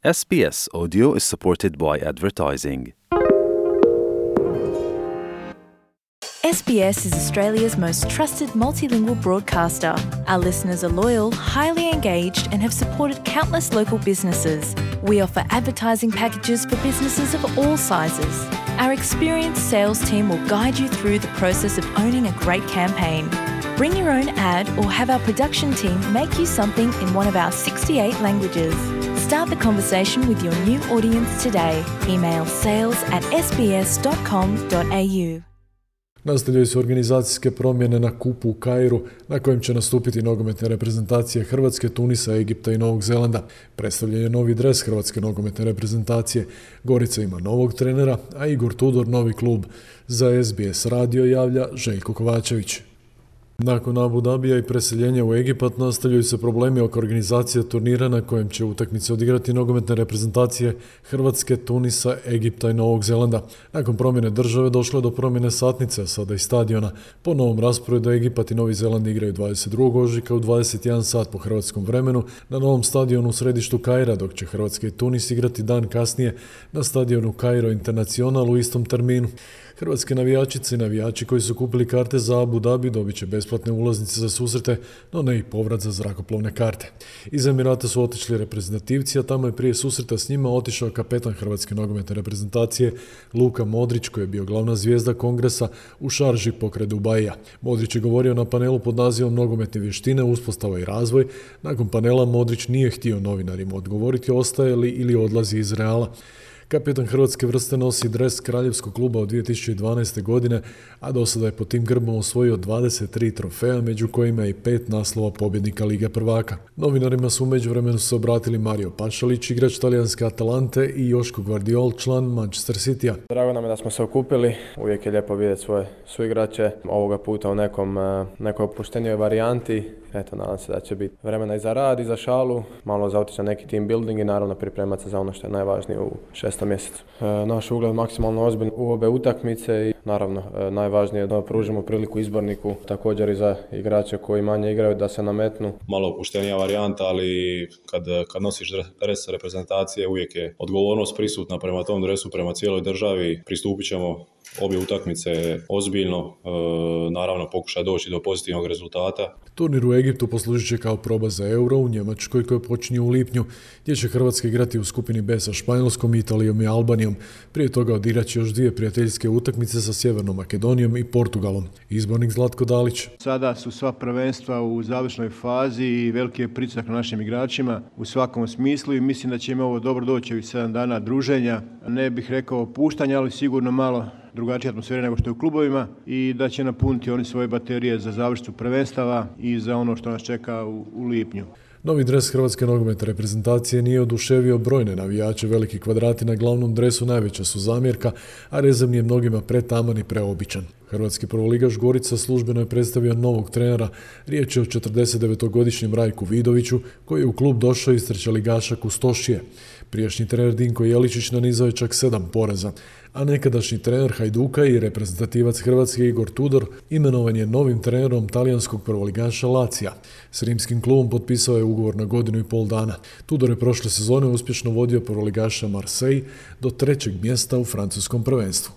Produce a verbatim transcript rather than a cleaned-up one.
S B S Audio is supported by advertising. S B S is Australia's most trusted multilingual broadcaster. Our listeners are loyal, highly engaged, and have supported countless local businesses. We offer advertising packages for businesses of all sizes. Our experienced sales team will guide you through the process of owning a great campaign. Bring your own ad or have our production team make you something in one of our sixty-eight languages. Start the conversation with your new audience today. Email sales at s b s dot com dot a u. Nastavljaju se organizacijske promjene na kupu u Kairu, na kojem će nastupiti nogometne reprezentacije Hrvatske, Tunisa, Egipta i Novog Zelanda. Predstavljen je novi dres Hrvatske nogometne reprezentacije. Gorica ima novog trenera, a Igor Tudor novi klub. Za S B S radio javlja Željko Kovačević. Nakon Abu Dabija i preseljenja u Egipat nastavljaju se problemi oko organizacije turnira na kojem će utakmice odigrati nogometne reprezentacije Hrvatske, Tunisa, Egipta i Novog Zelanda. Nakon promjene države došlo je do promjene satnice, sada i stadiona. Po novom rasporedu Egipat i Novi Zeland igraju dvadeset drugog ožujka u dvadeset jedan sat po hrvatskom vremenu na novom stadionu u središtu Kaira, dok će Hrvatska i Tunis igrati dan kasnije na stadionu Cairo International u istom terminu. Hrvatske navijačice i navijači koji su kupili karte za Abu Dhabi dobit će besplatne ulaznice za susrete, no ne i povrat za zrakoplovne karte. Iz Emirata su otišli reprezentativci, a tamo je prije susreta s njima otišao kapetan Hrvatske nogometne reprezentacije Luka Modrić, koji je bio glavna zvijezda kongresa u šarži pokraj Dubaija. Modrić je govorio na panelu pod nazivom Nogometne vještine, uspostava i razvoj. Nakon panela Modrić nije htio novinarima odgovoriti ostaje li ili odlazi iz Reala. Kapetan hrvatske vrste nosi dres kraljevskog kluba od dvije tisuće dvanaeste. godine, a do sada je pod tim grbom osvojio dvadeset tri trofeja, među kojima je i pet naslova pobjednika Lige prvaka. Novinarima su u međuvremenu se obratili Mario Pašalić, igrač talijanske Atalante, i Joško Gvardiol, član Manchester Citya. Drago nam je da smo se okupili, uvijek je lijepo vidjeti svoje suigrače, ovoga puta u nekom, nekoj opuštenijoj varijanti. Eto, nadam se da će biti vremena i za rad i za šalu, malo za otići na neki team building i naravno pripremati se za ono što je najvažnije u šestom mjesecu. E, naš ugled maksimalno ozbiljno u obe utakmice i naravno e, najvažnije je da pružimo priliku izborniku, također i za igrače koji manje igraju da se nametnu. Malo opuštenija varijanta, ali kad, kad nosiš dres reprezentacije uvijek je odgovornost prisutna prema tom dresu, prema cijeloj državi. Pristupit ćemo obje utakmice ozbiljno, e, naravno pokušati doći do pozitivnog rezultata. Turnir u Egiptu poslužit će kao proba za Euro u Njemačkoj koji počinje u lipnju, gdje će Hrvatska igrati u skupini B sa Španjolskom, Italijom i Albanijom. Prije toga odigrat će još dvije prijateljske utakmice sa Sjevernom Makedonijom i Portugalom. Izbornik Zlatko Dalić. Sada su sva prvenstva u završnoj fazi i veliki je pritisak na našim igračima u svakom smislu i mislim da će im ovo dobro doći ovih sedam dana druženja. Ne bih rekao puštanja, ali sigurno malo drugačija atmosfera nego što je u klubovima i da će napuniti oni svoje baterije za završnicu prvenstava i za ono što nas čeka u, u lipnju. Novi dres Hrvatske nogometne reprezentacije nije oduševio brojne navijače. Veliki kvadrati na glavnom dresu najveća su zamjerka, a rezervni je mnogima pretaman i preobičan. Hrvatski prvoligaš Gorica službeno je predstavio novog trenera. Riječ je o četrdesetdevetogodišnjem Rajku Vidoviću, koji je u klub došao iz trećeligaša Kustošije. Prijašnji trener Dinko Jeličić nanizao je čak sedam poraza, a nekadašnji trener Hajduka i reprezentativac Hrvatske Igor Tudor imenovan je novim trenerom talijanskog prvoligaša Lacija. S rimskim klubom potpisao je ugovor na godinu i pol dana. Tudor je prošle sezone uspješno vodio prvoligaša Marseille do trećeg mjesta u francuskom prvenstvu.